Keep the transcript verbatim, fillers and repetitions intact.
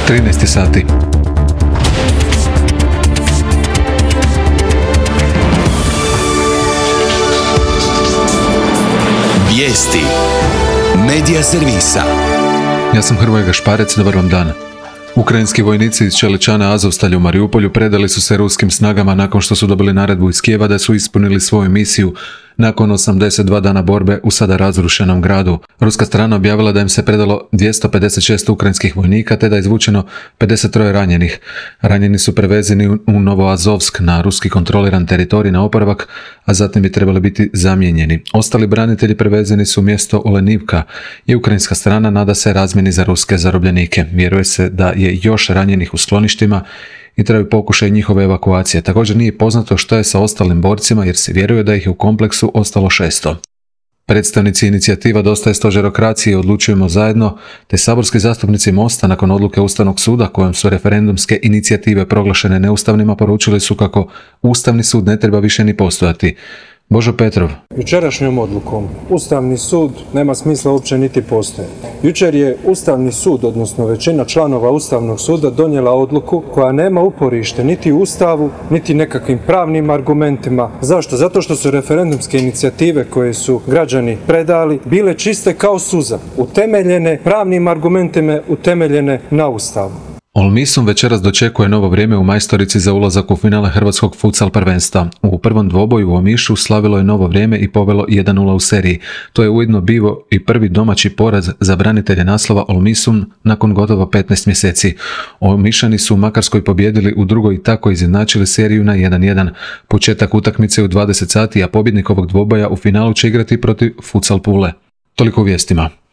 trinaest sati. Vijesti Medija servisa. Ja sam Hrvoje Gašparec, dobar vam dan. Ukrajinski vojnici iz Čeličana Azovstalja u Mariupolju predali su se ruskim snagama nakon što su dobili naredbu iz Kijeva da su ispunili svoju misiju nakon osamdeset dva dana borbe u sada razrušenom gradu. Ruska strana objavila da im se predalo dvjesto pedeset šest ukrajinskih vojnika te da je izvučeno pedeset tri ranjenih. Ranjeni su prevezeni u Novoazovsk na ruski kontroliran teritorij na oporavak, a zatim bi trebali biti zamijenjeni. Ostali branitelji prevezeni su u mjesto Olenivka i ukrajinska strana nada se razmjeni za ruske zarobljenike. Vjeruje se da je još ranjenih u skloništima i traju pokušaj njihove evakuacije. Također nije poznato što je sa ostalim borcima jer se vjeruje da ih je u kompleksu ostalo šesto. Predstavnici inicijativa Dosta je stožerokracije Odlučujemo zajedno, te saborski zastupnici Mosta nakon odluke Ustavnog suda kojom su referendumske inicijative proglašene neustavnima poručili su kako Ustavni sud ne treba više ni postojati. Božo Petrov. Jučerašnjom odlukom Ustavni sud nema smisla uopće niti postoje. Jučer je Ustavni sud, odnosno većina članova Ustavnog suda donijela odluku koja nema uporište niti u Ustavu, niti nekakvim pravnim argumentima. Zašto? Zato što su referendumske inicijative koje su građani predali bile čiste kao suza, utemeljene pravnim argumentima, utemeljene na Ustavu. Olmisum večeras dočekuje novo vrijeme u majstorici za ulazak u finale hrvatskog futsal prvenstva. U prvom dvoboju u Omišu slavilo je novo vrijeme i povelo jedan nula u seriji. To je ujedno bio i prvi domaći poraz za branitelje naslova Olmisum nakon gotovo petnaest mjeseci. Omišani su u Makarskoj pobijedili u drugoj i tako izjednačili seriju na jedan jedan. Početak utakmice u dvadeset sati, a pobjednik ovog dvoboja u finalu će igrati protiv Futsal Pule. Toliko u vijestima.